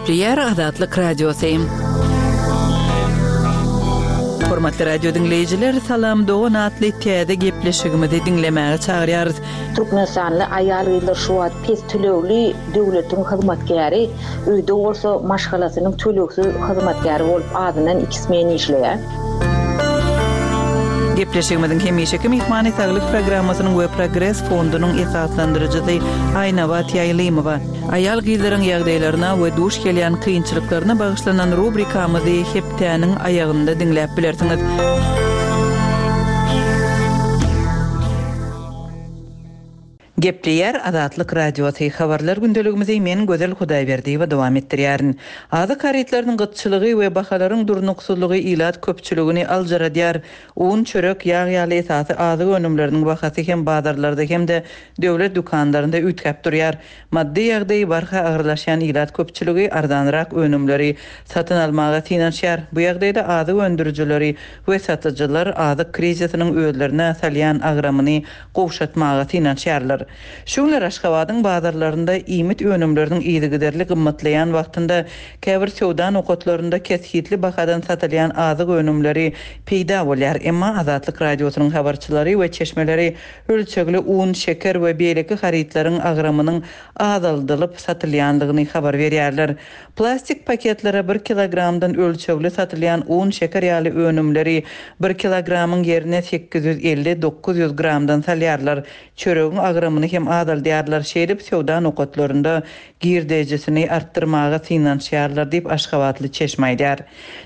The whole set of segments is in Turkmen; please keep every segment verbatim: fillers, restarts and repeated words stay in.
Gepleýär Azatlyk Radiosy. Hormatly radio diňleýjiler, Salam dogan atly täze gepleşigimizi diňlemäge çagyrýarys. Türkmenistanly aýal-gyzlar şu wagt pes tölegli döwletiň hyzmatkäri, öýde bolsa maşgalasynyň tölegsiz hyzmatkäri bolup azyndan iki smen işleýär. Gepleşigimiziň hemişeki myhmany Saglyk programmasynyň we Progres fondunyň esaslandyryjysy Aýnabat Ýaýlymowa. Aýal-gyzlaryň ýagdaýlaryna we duş gelýän kynçylyklaryna bagyşlanan rubrikamyzy hepdäniň aýagynda diňläp bilersiňiz. Gepleýär Azatlyk Radiosy habarlar gündeligimizi men Gözel Hudaýberdiýewa dowam etdirýärin. Azyk harytlarynyň gytçylygy we bahalaryň durnuksyzlygy ilat köpçüligini aljaradýar. Un, çörek, ýag ýaly esasy azyk önümleriniň bahasy hem bazarlarda hem-de döwlet dükanlarynda üýtgäp durýar. Maddy ýagdaýy barha agyrlaşýan ilat köpçüligi arzanrak önümleri satyn almaga synanyşýar. Bu ýagdaýda azyk öndürijileri we satyjylar azyk krizisiniň özlerine salýan agramyny gowşatmaga synanyşýarlar. Şu günler Aşgabadyň bazarlarynda iýmit önümleriniň yzygiderli gymmatlaýan wagtynda käbir söwda nokatlarynda kesgitli bahadan satylýan azyk önümleri peýda bolýar. Emma Azatlyk Radiosynyň habarçylary we çeşmeleri ölçegli un, şeker we beýleki harytlaryň agramynyň azaldylyp satylýandygyny habar berýärler. Plastik paketlere bir kilogramdan ölçegli satylýan un, şeker ýaly önümleri bir kilogramyň ýerine sekiz ýüz elli dokuz ýüz gramdan salýarlar. Çöregiň agramyny hem azaldýarlar. Şeýdip söwda nokatlarynda girdejisini artdyrmaga synanyşýarlar diýip Aşgabatly çeşme aýdýar.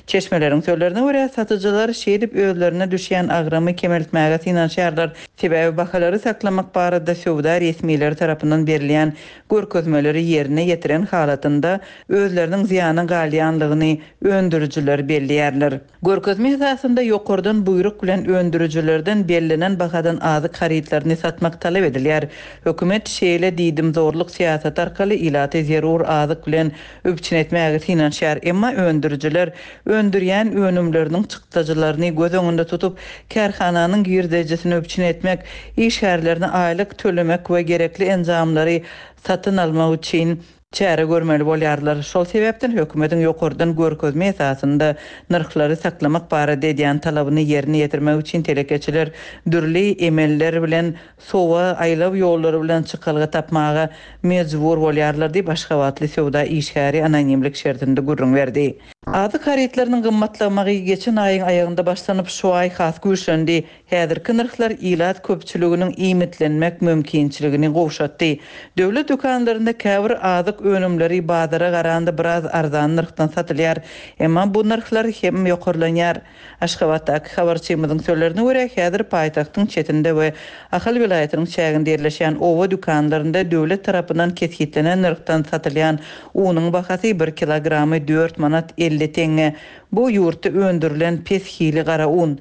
Çeşmeleriň sözlerine görä satyjylar şeýdip özlerine düşýän agramy kemeltmäge synanyşýarlar. Sebäbi bahalary saklamak barada söwda resmileri tarapyndan berilýän görkezmeleri ýerine ýetiren halatynda özleriniň zyýana galýanlygyny öndürijiler belleýärler. Görkezme esasynda ýokardan buýruk bilen öndürijilerden bellenen bahadan azyk harytlaryny satmak talap edilýär. Hökümet şeýle diýdim zorluk syýasaty arkaly ilaty zerur azyk bilen üpjün etmäge synanyşýar. Emma öndürijiler öndürýän önümleriniň çykdajylaryny göz öňünde tutup, kärhananyň girdejisini üpjün etmek, işgärlerini aýlyk tölemek we gerekli enjamlary satyn almak üçin çäre görmeli bolýarlar. Şol sebäpden hökümetiň ýokardan görkezme esasynda nyrhlary saklamak barada edýän talabyny ýerine ýetirmek üçin telekeçiler dürli emeller bilen sowa aýlaw ýollary bilen çykalga tapmaga mejbur bolýarlar diýip Aşgabatly söwda işgäri anonimlik şertinde gürrüň berdi. Azyk harytlarynyň gymmatlamagy geçen aýyň aýagynda başlanyp şu aý has güýçlendi. Häzirki nyrhlar ilat köpçüliginiň iýmitlenmek mümkinçiligini gowşatdy. Döwlet dükanlarynda käbir azyk önümleri bazara garanda biraz arzan nyrhdan satylýar. Emma bu nyrhlar hem ýokarlanýar. Aşgabatdaky habarçymyzyň sözlerine görä häzir paýtagtyň çetinde we Ahal welaýatynyň çäginde ýerleşýän oba dükanlarynda döwlet tarapyndan kesgitlenen nyrhdan satylýan unuň bahasy bir kilogramy dört manat elli teňňe. Bu ýurtda öndürilen pes hili gara un.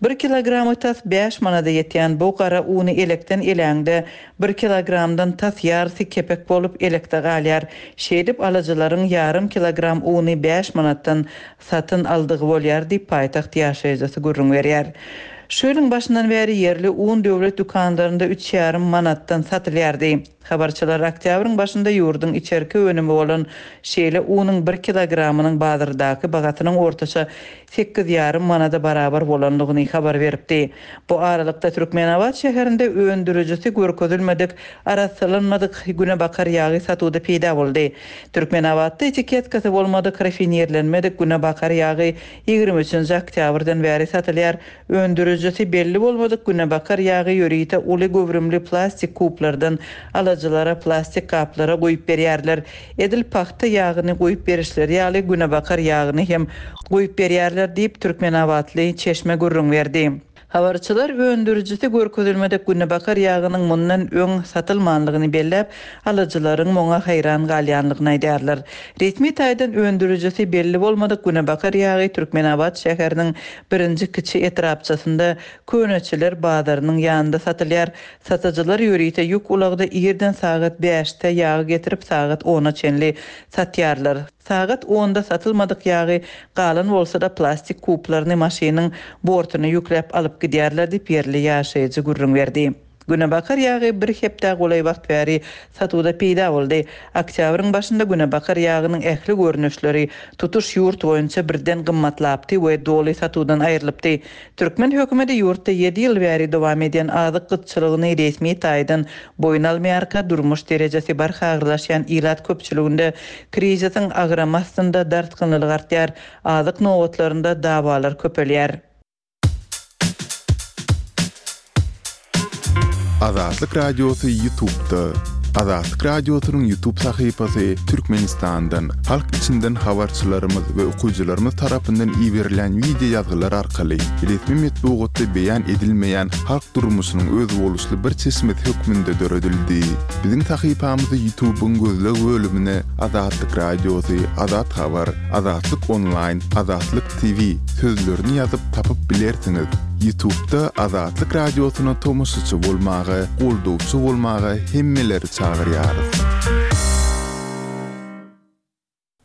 Bir kilogramy tas bäş manada ýetýän bu gara uny elekden eläňde bir kilogramdan tas ýarysy kepek bolup elekde galýar. Şeýdip alyjylaryň ýarym kilogram uny bäş manatdan satyn aldygy bolýar diýip paýtagt ýaşaýjysy gürrüň berýär. Şu ýylyň başyndan bäri ýerli un döwlet dükanlarynda üç ýarym manatdan satylýardy. Habarçylar oktýabryň başynda ýurduň içerki önümi bolan şeýle unuň bir kilogramynyň bazardaky bahasynyň ortaça sekiz ýarym manada barabar bolanlygyny habar beripdi. Bu aralykda Türkmenabat şäherinde öndürijisi görkezilmedik, arassalanmadyk günebakar ýagy satuwda peýda boldy. Türkmenabatda etiketkasy bolmadyk, rafinirlenmedik günebakar ýagy ýigrimi üçünji oktýabrdan bäri satylýar. Öndürijisi belli bolmadyk günebakar ýagy ýörite uly göwrümli plastik kuplardan alyjylara plastik gaplara goýup berýärler. Edil pagta ýagyny goýup berişleri ýaly günebakar ýagyny hem goýup berýärler diýip Türkmenabatly çeşme gürrüň berdi. Habarçylar öndürijisi görkezilmedik günebakar ýagynyň mundan öň satylmanlygyny belläp, alyjylaryň muňa haýran galýanlygyny aýdýarlar. Resmi taýdan öndürijisi belli bolmadyk günebakar ýagy Türkmenabat şäheriniň birinji kiçi etrapçasynda Köneçiler bazarynyň ýanynda satylýar. Satyjylar ýörite ýük ulagda irden sagat bäşde ýagy getirip sagat ona çenli satýarlar. Sagat onda satylmadyk ýagy galan bolsa da plastik kuplaryny maşynyň bortuna ýükläp alyp gidýärler diýip ýerli ýaşaýjy gürrüň berdi. Günebakar ýagy bir hepdä golaý wagt bäri satuwda peýda boldy. Oktýabryň başynda günebakar ýagynyň ähli görnüşleri tutuş ýurt boýunça birden gymmatlapdy we doly satuwdan aýrylypdy. Türkmen hökümeti ýurtda ýedi ýyl bäri dowam edýän azyk gytçylygyny resmi taýdan boýun almaýarka, durmuş derejesi barha agyrlaşýan ilat köpçüliginde krizisiň agramy astynda dartgynlylyk artýar, azyk nobatlarynda dawalar köpelýär. Azatlyk Radiosy YouTube'da. Azatlyk Radiosynyň YouTube sahypasy Türkmenistandan, halk içinden habarçylarymyz we okyjylarymyz tarapyndan iberilen wideo ýazgylar arkaly resmi metbugatda beýan edilmeýän halk durmuşynyň özboluşly bir çeşmesi hökmünde döredildi. Biziň sahypamyzy YouTube'yň gözleg bölümine Azatlyk Radiosy, Azat Habar, Azatlyk Online, Azatlyk T V sözlerini ýazyp tapyp bilersiňiz. YouTube'da Azatlyk Radiosyna tomaşaçy bolmaga, goldawçy bolmaga hemmeleri çagyrýarys.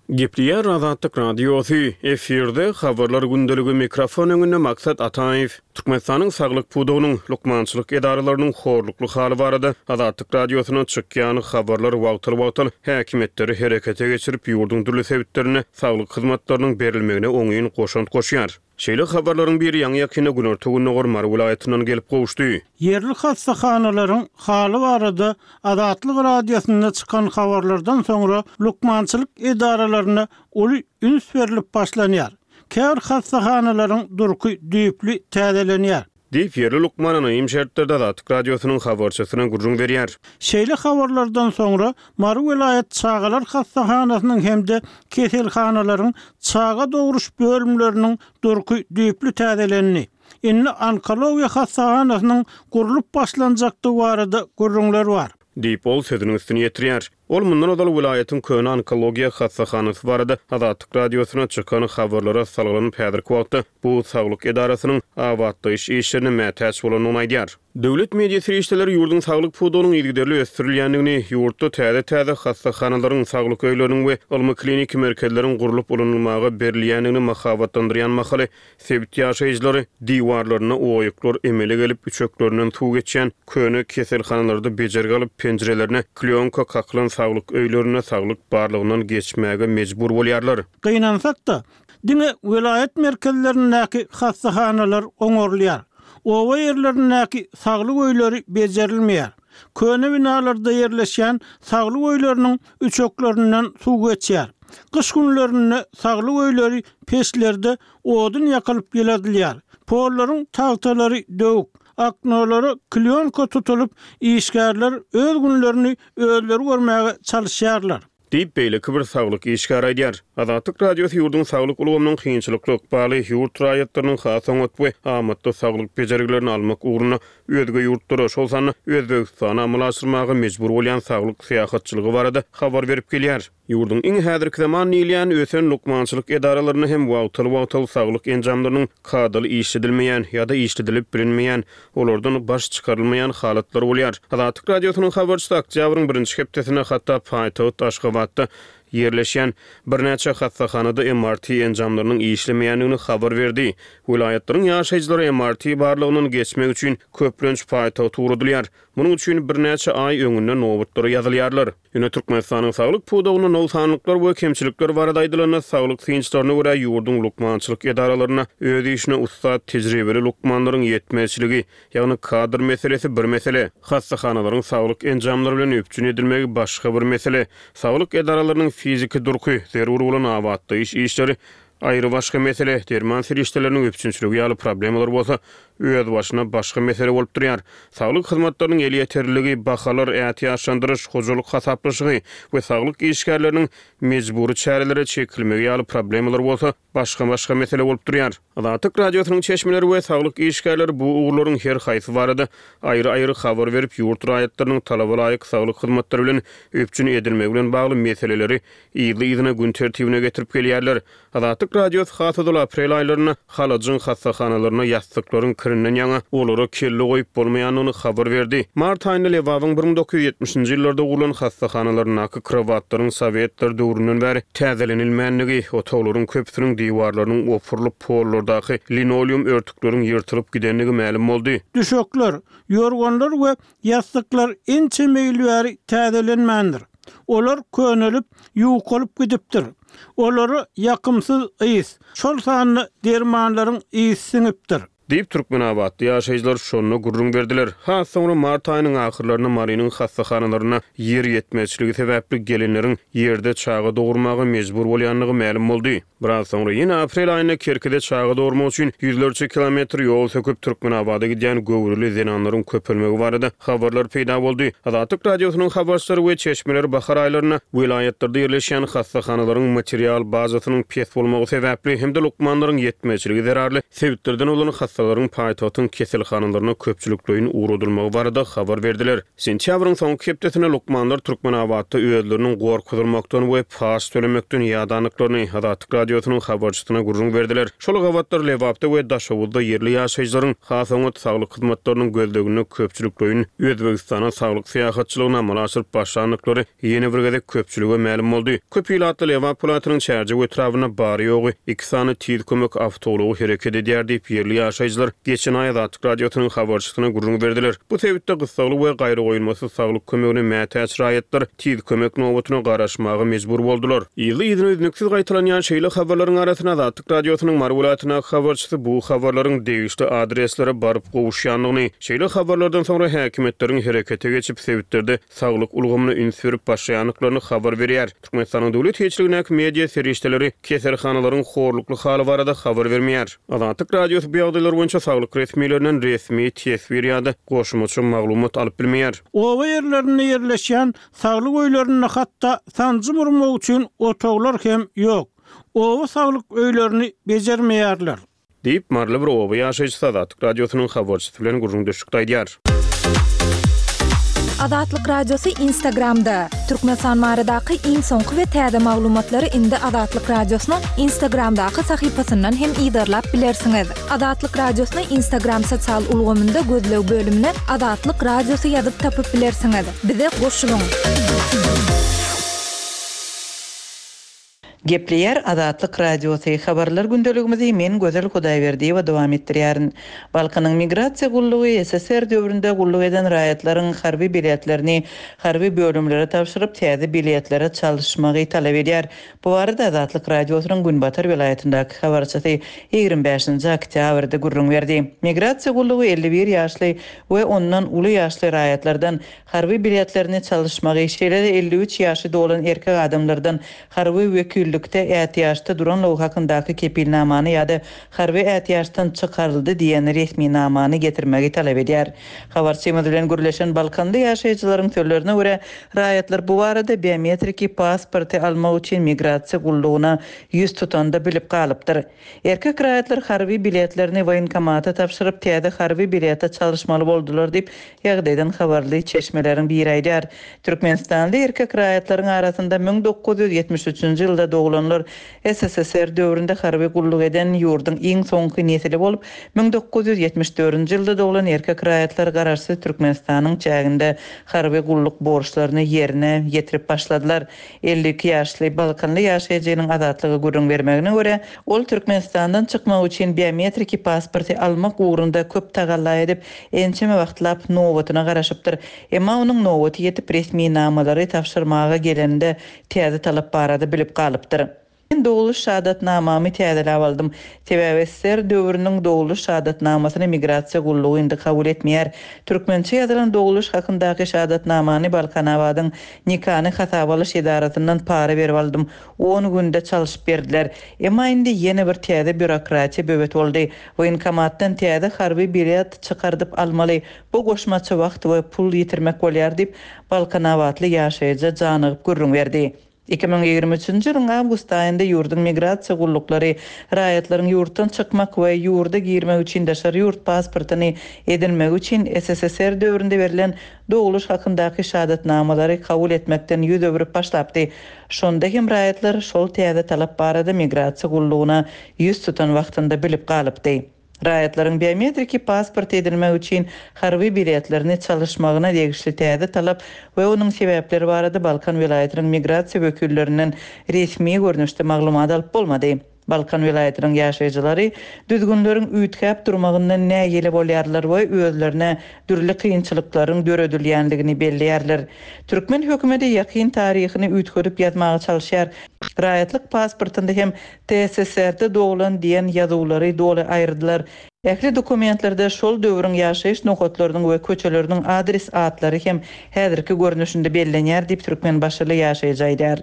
Gepleýär Azatlyk Radiosy, efirde habarlar gündeligi, mikrofon öňünde Maksat Ataýew. Türkmenistanyň saglyk pudagynyň, lukmançylyk edaralarynyň horlukly haly barada Azatlyk Radiosyna çykýan habarlar wagtal-wagtal häkimiýetleri herekete geçirip, ýurduň dürli sebitlerinde saglyk hyzmatlarynyň berilmegine oňyn goşant goşýar. Şeýle habarlaryň biri ýaňy ýakynda Günorta-Gündogar Mary welaýatyndan gelip gowuşdy. Ýerli hassahanalaryň haly barada Azatlyk Radiosynda çykan habarlardan soňra lukmançylyk edaralaryna uly üns berilip başlanýar. Käbir hassahanalaryň durky düýpli täzelenýär. Diýip, ýerli lukman anonim şertlerde Azatlyk Radiosynyň habarçysyna gürrüň berýär. Şeýle habarlardan soňra Mary welaýat çagalar hassahanasynyň hem-de keselhanalaryň çaga dogruş bölümleriniň durky düýpli täzelendi. Indi onkologiýa hassahanasynyň gurlup başlanjakdygy barada gürrüňler bar. Diýip, ol sözüniň üstüni ýetirýär. Ol mundan ozal welaýatyň köne onkologiýa hassahanasy barada Azatlyk Radiosyna çykan habarlara salgylanyp, häzirki wagtda bu saglyk edarasynyň abatlaýyş işlerine mätäç bolandygyny aýdýar. Döwlet media serişdeleri ýurduň saglyk pudagynyň yzygiderli ösdürilýändigini, ýurtda täze-täze hassahanalaryň, saglyk öýleriniň we ylmy kliniki merkezleriň gurlup ulanylmaga berilýändigini mahabatlandyrýan mahaly sebit ýaşaýjylary diwarlarynda oýuklar emele gelip, üçeklerinden suw geçýän köne keselhanalarda bejergi alyp, penjirelerine klýonka kakylan saglyk öýlerinde saglyk barlygyndan geçmäge mejbur bolýarlar. Gynansak-da, diňe welaýat merkezlerindäki hassahanalar oňarylýar. Oba ýerlerindäki saglyk öýleri bejerilmeýär. Köne binalarda ýerleşýän saglyk öýleriniň üçeklerinden suw geçýär. Gyş günlerinde saglyk öýleri peçlerde odun ýakylyp ýyladylýar. Pollaryň tagtalary döwük, aknolara klýonka tutulyp, işgärler öz günlerini özleri görmäge çalışýarlar. Diýip, beýleki bir saglyk işgäri aýdýar. Azatlyk Radiosy ýurduň saglyk ulgamynyň kynçylykly ykbaly, ýurt raýatlarynyň has oňat we amatly saglyk bejergilerini almak ugrunda özge ýurtlara, şol sanda Özbegistana amala aşyrmaga mejbur bolýan saglyk syýahatçylygy barada habar berip gelýär. Ýurduň iň häzirki zaman diýilýän ösen lukmançylyk edaralarynda hem wagtal-wagtal saglyk enjamlarynyň kadaly işledilmeýän ýa-da işledilip bilinmeýän, olardan baş çykarylmaýan halatlar bolýar. Azatlyk Radiosynyň habarçysy oktýabryň birinji hepdesinde hatda paýtagt Aşgabatda ýerleşýän birnäçe hassahanada M R T enjamlarynyň işlemeýändigini habar berdi. Welaýatlaryň ýaşaýjylary M R T barlygyndan geçmek üçin köplenç paýtagta ugradylýar. Munuň üçin birnäçe aý öňünden nobatlara ýazylýarlar. Ýöne Türkmenistanyň saglyk pudagynda nogsanlyklar we kemçilikler barada aýdylanda saglyk synçylaryna görä ýurduň lukmançylyk edaralarynda öz işine ussat tejribeli lukmanlaryň ýetmezçiligi, ýagny kadr meselesi bir mesele, hassahanalaryň saglyk enjamlary bilen üpjün edilmegi başga bir mesele, saglyk edaralarynyň fiziki durky, zerur bolan abatlaýyş işleri aýry başga mesele, derman serişdeleriniň üpjünçiligi ýaly problemalar bolsa öz başyna başga mesele bolup durýar. Saglyk hyzmatlarynyň elýeterliligi, bahalar, ätiýaçlandyryş, hojalyk hasaplaşygy we saglyk işgärleriniň mejbury çärelere çekilmegi ýaly problemalar bolsa başga-başga mesele bolup durýar. Azatlyk Radiosynyň çeşmeleri we saglyk işgärleri bu ugurlaryň her haýsy barada aýry-aýry habar berip, ýurt raýatlarynyň talaba laýyk saglyk hyzmatlary bilen üpjün edilmegi bilen bagly meseleleri yzly-yzyna gün tertibine getirip gelýärler. Azatlyk Azatlyk Radiosy has ozal aprel aýlarynda Halajyň hassahanalarynda ýassyklaryň kirinden ýaňa olara kelle goýup bolmaýandygyny habar berdi. Mart aýynda Lebabyň bir müň dokuz ýüz ýetmişinji ýyllarda gurlan hassahanalaryndaky krowatlaryň sowetler döwründen bäri täzelenilmändigi, otaglaryň köpüsiniň diwarlarynyň opurylyp, pollardaky linoleum örtükleriň ýyrtylyp gidendigi mälim boldy. Düşekler, ýorganlar we ýassyklar ençeme ýyl bäri täzelenmändir. Olar könelip, ýukalyp gidipdir. Olara ýakymsyz ys, şol sanda dermanlaryň ysy siňipdir. Diýip, türkmenabatly ýaşaýjylar şonda gürrüň berdiler. Has soňra mart aýynyň ahyrlarynda Marynyň hassahanalarynda ýer ýetmezçiligi sebäpli gelinleriň ýerde çaga dogurmaga mejbur bolýandygy mälim boldy. Biraz soňra ýene aprel aýynda Kerkide çaga dogurmak üçin ýüzlerçe kilometr ýol söküp Türkmenabada gidýän göwreli zenanlaryň köpelmegi barada habarlar peýda boldy. Azatlyk Radiosynyň habarçylary we çeşmeleri bahar aýlarynda welaýatlarda ýerleşýän hassahanalaryň material bazasynyň pes bolmagy sebäpli hem-de lukmanlaryň ýetmezçiligi zerarly sebitlerden bolan hassalaryň paýtagtyň keselhanalaryna köpçülikleýin ugradylmagy barada habar berdiler. Sentýabryň soňky hepdesinde lukmanlar Türkmenabatda özleriniň gorkuzylmakdan we paç tölemekden ýadandyklaryny Azatlyk Radiosynyň habarçysyna gürrüň berdiler. Şol gabatlar Lebapda we Daşoguzda ýerli ýaşaýjylaryň has oňat saglyk hyzmatlarynyň gözleginde köpçülikleýin Özbegistana saglyk syýahatçylygyny amala aşyryp başlandyklary ýene bir gezek köpçülige mälim boldy. Köp ilatly Lebap welaýatynyň Çärjew etrabynda bary-ýogy iki sany tiz kömek awtoulagy hereket edýär diýip, ýerli ýaşaýjylar geçen aý Azatlyk Radiosynyň habarçysyna gürrüň berdiler. Bu sebitde gyssagly we gaýragoýulmasyz saglyk kömegine mätäç raýatlar tiz kömek nobatyna garaşmaga mejbur boldular. Yzly-yzyna üznüksiz gaýtalanýan şeýle habarlaryň arasynda Azatlyk Radiosynyň Mary welaýatyndaky habarçysy bu habarlaryň degişli adreslere baryp gowuşýandygyny, şeýle habarlardan soňra häkimiýetleriň herekete geçip sebitlerde saglyk ulgamyna üns berip başlaýandyklaryny habar berýär. Türkmenistanyň döwlet eýeçiligindäki media serişdeleri keselhanalaryň horlukly haly barada habar bermeýär. Azatlyk Radiosy bu ýagdaýlar boýunça saglyk resmilerinden resmi teswir ýa-da goşmaça maglumat alyp bilmeýär. Oba ýerlerinde ýerleşýän saglyk öýlerinde hatda sanjym urmak üçin otaglar hem ýok. Oba saglyk öýlerini bejermeýärler. Diýip, Maryly bir oba ýaşaýjysy Azatlyk Radiosynyň habarçysy bilen gürrüňdeşlikde aýdýar. Azatlyk Radiosy Instagramda. Türkmenistan baradaky iň soňky we täze maglumatlary indi Azatlyk Radiosynyň Instagramdaky sahypasyndan hem yzarlap bilersiňiz. Azatlyk Radiosyny Instagram sosial ulgamynda gözleg bölümine Azatlyk Radiosy ýazyp tapyp bilersiňiz. Bize goşulyň. Gepleýär Azatlyk Radiosy habarlar gündeligimizi men Gözel Hudaýberdiýewa dowam etdirýärin. Balkanyň migrasiýa gullugy S S R döwründe gulluk eden raýatlaryň harby biletlerini harby bölümlere tabşyryp täze biletlere çalyşmagy talap edýär. Bu barada Azatlyk Radiosynyň Günbatar welaýatyndaky habarçysy ýigrimi bäşinji oktýabrda gürrüň berdi. Migrasiýa gullugy elli bir ýaşly we ondan uly ýaşly raýatlardan harby biletlerini çalyşmagy, şeýle-de elli üç ýaşy dolan erkek adamlardan harby wekillikde ätiýaçda duranlygy hakyndaky kepilnamany ýa-da harby ätiýaçdan çykaryldy diýen resminamany getirmegi talap edýär. Habarçymyz bilen gürleşen Balkanly ýaşaýjylaryň sözlerine görä, raýatlar bu barada biometriki pasporty almak üçin migrasiýa gullugyna ýüz tutanda bilip galypdyr. Erkek raýatlar harby biletlerini woýenkomata tabşyryp, täze harby bilete çalyşmaly boldular diýip, ýagdaýdan habarly çeşmeleriň biri aýdýar. Türkmenistanly erkek raýatlaryň arasynda müň dokuz ýüz ýetmiş üçünji ýylda doglanlar S S S R döwründe harby gulluk eden ýurduň iň soňky nesili bolup, müň dokuz ýüz ýetmiş dördünji ýylda doglan erkek raýatlar garaşsyz Türkmenistanyň çäginde harby gulluk borçlaryny ýerine ýetirip başladylar. Elli iki ýaşly Balkanly ýaşaýjynyň azatlyga gürrüň bermegine görä, ol Türkmenistandan çykmak üçin biometriki pasporty almak ugrunda köp tagalla edip, ençeme wagtlap nobatyna garaşypdyr. Emma onuň nobaty ýetip resminamalary tabşyrmaga gelende täze talap barada bilip galypdyr. Men doguluş şahadatnamamy täzeläp aldym. Sebäbi S S R döwrüniň doguluş şahadatnamasyny migrasiýa gullugy indi kabul etmeýär. Türkmençe ýazylan doguluş hakyndaky şahadatnamany Balkanabadyň nikany hasaba alyş edarasyndan para berip aldym. On günde çalyşyp berdiler. Emma indi ýene bir täze bürokratiýa böwet boldy. Woýenkomatdan täze harby bilet çykardyp almaly. Bu goşmaça wagt we pul ýitirmek bolýar diýip, Balkanabatly ýaşaýjy janygyp gürrüň berdi. Iki müň ýigrimi üçünji ýylyň awgust aýynda ýurduň migrasiýa gulluklary raýatlaryň ýurtdan çykmak we ýurda girmek üçin daşary ýurt pasportyny edinmegi üçin S S S R döwründe berlen dogluş hakyndaky şahadatnamalary kabul etmekden ýüz öwrüp başlapdy. Şonda hem raýatlar şol täze talap barada migrasiýa gullugyna ýüz tutan wagtynda bilip galypdy. Raýatlaryň biometriki pasport edinmek üçin harby biletlerini çalyşmagyna degişli täze talap we onuň sebäpleri barada Balkan welaýatynyň migrasiýa wekillerinden resmi görnüşde maglumat alyp bolmady. Balkan welaýatynyň ýaşaýjylary düzgünleriň üýtgäp durmagyndan nägile bolýarlar we özlerine dürli kynçylyklaryň döredilýändigini belleýärler. Türkmen hökümeti ýakyn taryhyny üýtgedip ýazmaga çalyşýar. Raýatlyk pasportynda hem T S S R-de doglan diýen ýazuwlary doly aýyrdylar. Ähli dokumentlerde şol döwrüň ýaşaýyş nokatlarynyň we köçeleriniň adres atlary hem häzirki görnüşinde bellenýär diýip Türkmenbaşyly ýaşaýjy aýdar.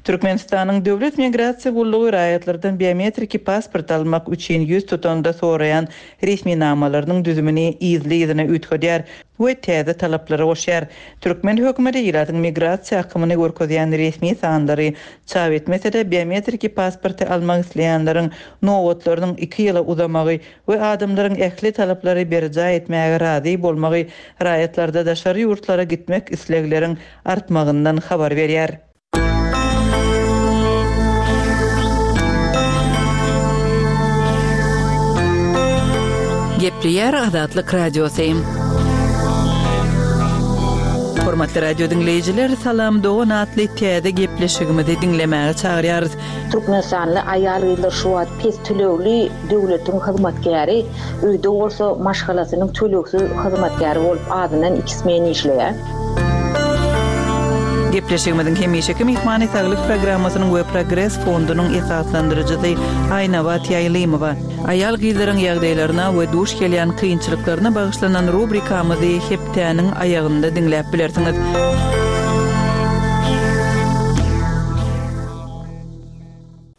Türkmenistanyň Döwlet migrasiýa gullugy raýatlardan biometriki pasport almak üçin ýüz tutanda soraýan resminamalarynyň düzümini yzly-yzyna üýtgedýär we täze talaplary goşýar. Türkmen hökümeti ilatyň migrasiýa akymyny görkezýän resmi sanlary çap etmese-de biometriki pasporty almak isleýänleriň nobatlarynyň iki ýyla uzamagy we adamlaryň ähli talaplary berjaý etmäge razy bolmagy raýatlarda daşary ýurtlara gitmek islegleriň artmagyndan habar berýär. Gepleýär Azatlyk Radiosy. Hormatly radio diňleýjiler, Salam Dogan atly täze gepleşigimizi diňlemäge çagyrýarys. Türkmenistanly aýal-gyzlar şu wagt pes tölegli döwletiň hyzmatkäri, öýde bolsa maşgalasynyň tölegsiz hyzmatkäri bolup azyndan iki smen işleýär. Gepleşigimiziň hemişeki myhmany saglyk programmasynyň we Progres fondunyň esaslandyryjysy Aýnabat Ýaýlymowa. Aýal-gyzlaryň ýagdaýlaryna we duş gelýän kynçylyklaryna bagyşlanan rubrikamyzy hepdäniň aýagynda diňläp bilersiňiz.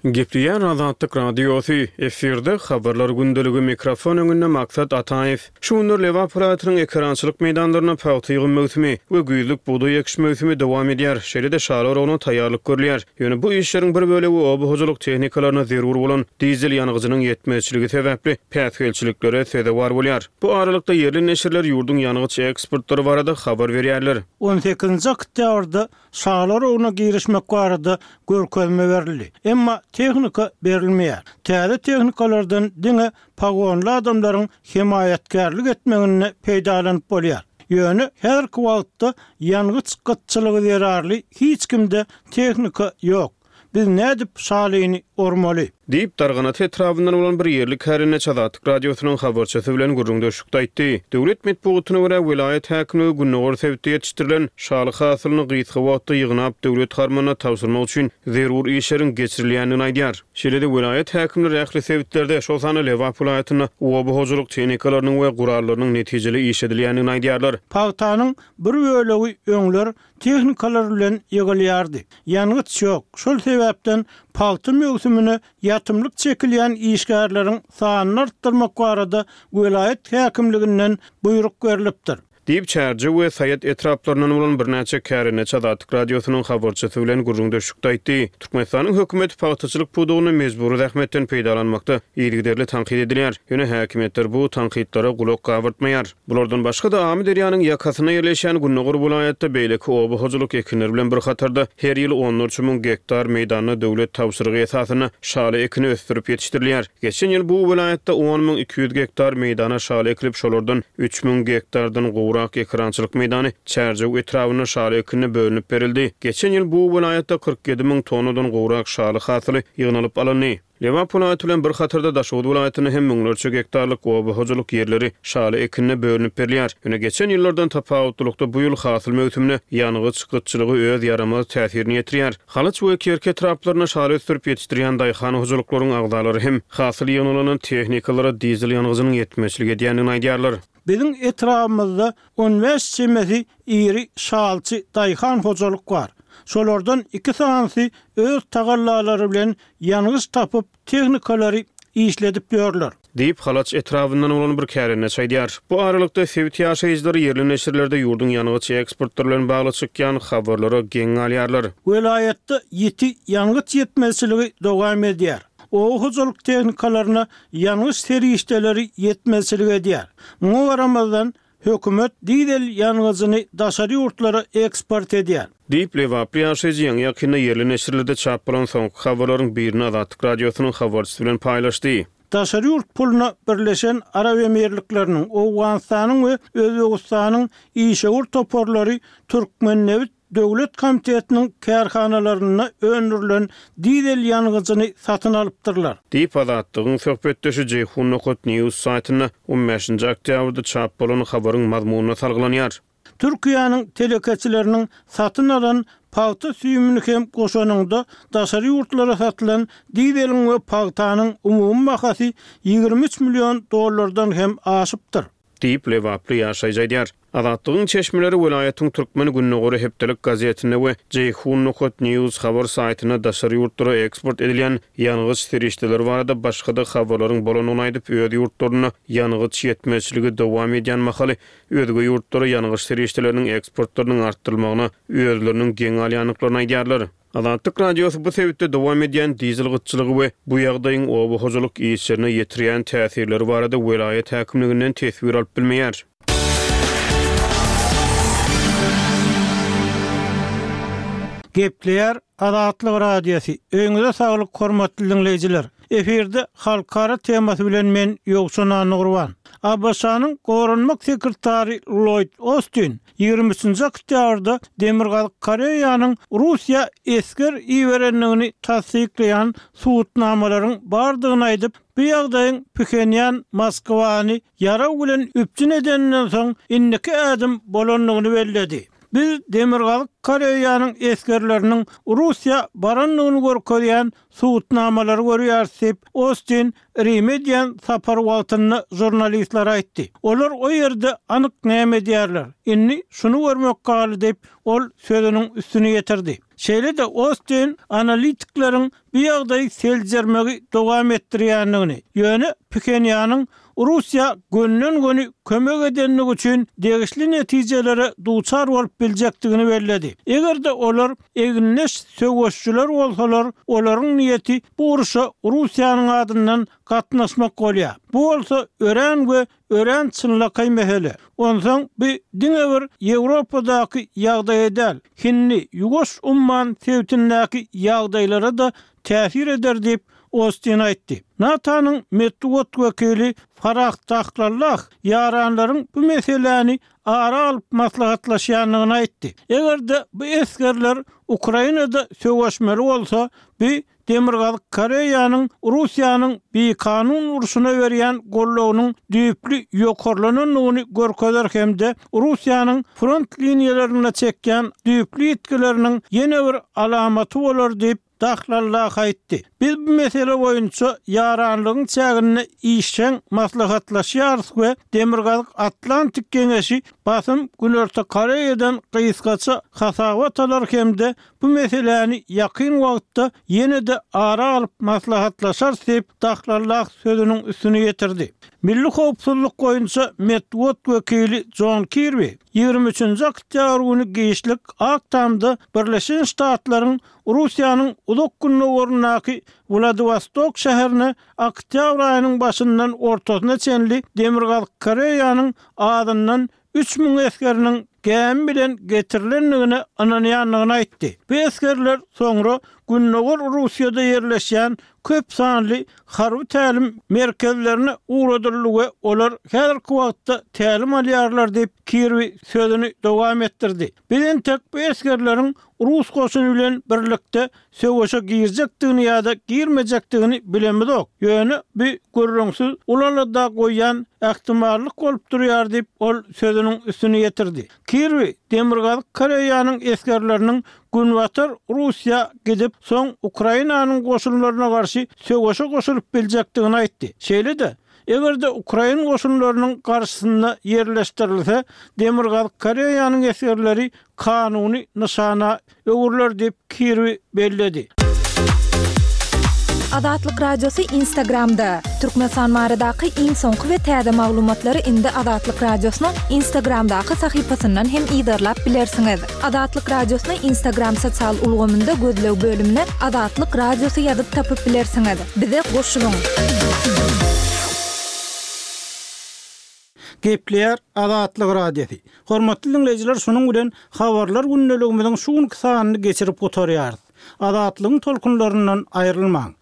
Gepleýär Azatlyk Radiosy, efirde habarlar gündeligi, mikrofon öňünde Maksat Ataýew. Şu günler Lebap welaýatynyň ekerançylyk meýdanlarynda pagta ýygym möwsümi we güýzlük bugdaý ekiş möwsümi dowam edýär. Şeýle-de şaly oragyna taýýarlyk görülýär. Ýöne bu işleriň bir bölegi oba hojalyk tehnikalaryna zerur bolan dizel ýangyjynyň ýetmezçiligi sebäpli päsgelçiliklere sezewar bolýar. Bu aralykda ýerli neşirler ýurduň ýangyç eksportlary barada habar berýärler. On sekizinji oktýabrda şaly oragyna girişmek barada görkezme berildi. Emma tehnika berilmeýär. Täze tehnikalardan diňe pagonly adamlaryň hemaýatkärlik etmeginde peýdalanyp bolýar. Ýöne häzirki wagtda ýangyç gytçylygy zerarly hiç kimde tehnika ýok. Biz nädip şalyny ormaly? Diýip, Darganata etrabyndan bolan bir ýerli kärendeçi Azatlyk Radiosynyň habarçysy bilen gürrüňdeşlikde aýtdy. Döwlet metbugatyna görä welaýat häkimligi gündogar sebitde ýetişdirilen şaly hasylyny gysga wagtda ýygnap döwlet harmanyna tabşyrmak üçin zerur işleriň geçirilýändigini aýdýar. Şeýle-de welaýat häkimleri ähli sebitlerde, şol sanda Lebap welaýatynda oba hojalyk tehnikalarynyň we gurallarynyň netijeli işledilýändigini aýdýarlar. Pagtanyň bir bölegi öňler tehnikalar bilen ýygylýardy. Ýangyç ýok. Şol sebäpden pagta möwsümine ýatymlyk çekilýän işgärleriň sanyny artdyrmak barada welaýat häkimliginden buýruk berlipdir. Diýip, Çärjew we Saýat etraplaryndan bolan birnäçe kärendeçi Azatlyk Radiosynyň habarçysy bilen gürrüňdeşlikde aýtdy. Türkmenistanyň hökümeti pagtaçylyk pudagyny mejbury zähmetden peýdalanmakda yzygiderli tankyt edilýär. Ýöne häkimiýetler bu tankytlara gulak gabyrtmaýar. Bulardan başga-da Amyderýanyň ýakasynda ýerleşýän Gündogar welaýatda beýleki oba hojalyk ekinleri bilen bir hatarda her ýyl onlarça müň gektar meýdanda döwlet tabşyrygy esasynda şaly ekini ösdürip ýetişdirilýär. Geçen ýyl bu welaýatda on müň iki ýüz gektar meýdana şaly ekilip, şolardan üç müň gektardan gowrak ekerançylyk meýdany Çärjew etrabynda şaly ekinine bölünip berildi. Geçen ýyl bu welaýatda kyrk ýedi müň tonnadan gowrak şaly hasyly ýygnalyp alyndy. Lebap welaýaty bilen bir hatarda Daşoguz welaýatynda hem müňlerçe gektarlyk oba hojalyk ýerleri şaly ekinine bölünip berilýär. Ýöne geçen ýyllardan tapawutlylykda bu ýyl hasyl möwsümine ýangyç gytçylygy öz ýaramaz täsirini ýetirýär. Halaç we Kerki etraplarynda şaly ösdürip ýetişdirýän daýhan hojalyklaryň agzalary hem hasyl ýygnalan tehnikalara dizel ýangyjynyň ýetmezçilik edýändigini aýdýarlar. Biziň etrabymyzda on bäş çemesi iri şalçy daýhan hojalyk bar. Şolardan iki sanysy öz tagallalary bilen ýangyç tapyp tehnikalary işledip ýörler. Diýip, Halaç etrabyndan bolan bir kärendeçi aýdýar. Bu aralykda, sebit ýaşaýjylary ýerli neşirlerde ýurduň ýangyç eksportlary bilen bagly çykýan habarlara geň galýarlar. Welaýatda ýiti ýangyç ýetmezçiligi dowam edýär. Oba hojalyk tehnikalaryna ýangyç serişdeleri ýetmezçilik edýär. Muňa garamazdan, hökümet dizel ýangyjyny daşary ýurtlara eksport edýär. Diýip, lebaply ýaşaýjy ýaňy-ýakynda ýerli neşirlerde çap bolan soňky habarlaryň birini Azatlyk Radiosynyň habarçysy bilen paýlaşdy. Daşary ýurt puluna Birleşen Arap Emirlikleriniň, Owganystanyň we Özbegistanyň işewür toparlary Türkmennebit döwlet komitetiniň kärhanalarynda öndürilen dizel ýangyjyny satyn alypdyrlar. Diýip, Azatlygyň söhbetdeşi Jeýhun nokat news saýtynda on bäşinji oktýabrda çap bolan habaryň mazmunyna salgylanýar. Türkiýäniň telekeçileriniň satyn alan pagta süýümini hem goşanyňda daşary ýurtlara satylan dizeliň we pagtanyň umumy bahasy ýigrimi üç million dollardan hem aşypdyr. Diýip, lebaply ýaşaýjy aýdýar. Azatlygyň çeşmeleri welaýatyň Türkmen Gündogary hepdelik gazetinde we Jeýhun nokat news habar saýtynda daşary ýurtlara eksport edilýän ýangyç serişdeleri barada başga-da habarlaryň bolandygyny aýdyp, öz ýurtlarynda ýangyç ýetmezçiligi dowam edýän mahaly özge ýurtlara ýangyç serişdeleriniň eksportlarynyň artdyrylmagyna özleriniň geň galýandyklaryny aýdýarlar. Azatlyk Radiosy bu sebitde dowam edýän dizel gytçylygy we bu ýagdaýyň oba hojalyk işlerine ýetirýän täsirleri barada welaýat häkimliginden teswir alyp bilmeýär. Gepleýär Azatlyk Radiosy. Öýüňize saglyk, hormatly diňleýjiler. Efirde halkara temasy bilen men Ýowşan Annagurban. A B Ş-nyň goranmak sekretary Lloyd Austin ýigrimi üçünji oktýabrda Demirgazyk Koreýanyň Russiýa esger iberendigini tassyklaýan subutnamalaryň bardygyny aýdyp, bu ýagdaýyň Phenýan Moskwany ýarag bilen üpjün edeninden soň indiki ädim bolandygyny belledi. Biz Demirgazyk Koreýanyň esgerleriniň Russiýa barandygyny görkezýän subutnamalary görýäris diýip, Austin Rime edýän sapar wagtynda žurnalistler aýtdy. Olar o ýerde anyk näme edýärler? Indi şuny görmek galdy diýip, ol sözüniň üstüni ýetirdi. Şeýle-de Austin analitikleriň bu ýagdaýy seljermegi dowam etdirýändigini, ýöne Phenýanyň Russiýa gönden-göni kömek edenligi üçin degişli netijelere duçar bolup biljekdigini belledi. Eger-de olar egindeş söweşçiler bolsalar, olaryň niýeti bu uruşa Russiýanyň adyndan gatnaşmak bolýar. Bu bolsa örän we örän çynlakaý mesele. Onsoň bu diňe bir Ýewropadaky ýagdaýa däl, Hindi, Ýuwaş umman sebitindäki ýagdaýlara da täsir eder diýip Austin aýtdy. NATO-nyň metbugat wekili Farah Dahlallah ýaranlaryň bu meseläni ara alyp maslahatlaşýandygyny aýtdy. Eger-de bu esgerler Ukrainada söweşmeli bolsa, bu Demirgazyk Koreýanyň Russiýanyň bikanun urşuna berýän goldawynyň düýpli ýokarlanandygyny görkezer hem-de Russiýanyň front liniýalarynda çekýän düýpli ýitgileriniň ýene bir alamaty bolar diýip Dahlallah aýtdy. Biz bu mesele boýunça ýaranlygyň çäginde işjeň maslahatlaşýarys we Demirgazyk Atlantik Geňeşi basym Günorta Koreýadan gysgaça hasabat alar hem-de bu meseläni ýakyn wagtda ýene-de ara alyp maslahatlaşarys diýip Dahlallah sözüniň üstüni ýetirdi. Milli howpsuzlyk boýunça metbugat wekili John Kirby ýigrimi üçünji oktýabr güni giçlik Ak Tamda Birleşen Ştatlaryň Russiýanyň uzak gündogaryndaky Wladivostok şäherine oktýabr aýynyň başyndan ortasyna çenli Demirgazyk Koreýanyň adyndan üç müň esgeriniň gämi bilen getirilendigine ynanýandygyny aýtdy. Bu esgerler soňra Gündogar Russiýada ýerleşýän köp sanly harby tälim merkezlerine ugradyldy we olar häzirki wagtda tälim alýarlar diýip Kirby sözüni dowam etdirdi. Biz entek bu esgerleriň Rus goşuny bilen birlikde söweşe girjekdigini ýa-da girmejekdigini bilemizok. Ýöne bu gürrüňsiz ulalada goýýan ähtimallyk bolup durýar diýip ol sözüniň üstüni ýetirdi. Kirby Demirgazyk Koreýanyň esgerleriniň Günbatar Russiýa gidip soň Ukrainanyň goşunlaryna garşy söweşe goşulyp biljekdigini aýtdy. Şeýle-de, eger-de Ukrain goşunlarynyň garşysynda ýerleşdirilse, Demirgazyk Koreýanyň esgerleri kanuny nyşana öwrüler diýip Kirby belledi. Azatlyk Radiosy Instagramda! Türkmenistan baradaky iň soňky we täze maglumatlary indi Azatlyk Radiosynyň Instagramdaky sahypasyndan hem yzarlap bilersiňiz. Azatlyk Radiosyny Instagram sosial ulgamynda gözleg bölümine Azatlyk Radiosy ýazyp tapyp bilersiňiz. Bize goşulyň! Gepleýär Azatlyk Radiosy. Hormatly diňleýjiler, şunuň bilen Habarlar gündeligimiziň şu günki sanyny geçirip gutarýarys. Azatlygyň tolkunlaryndan aýrylmaň!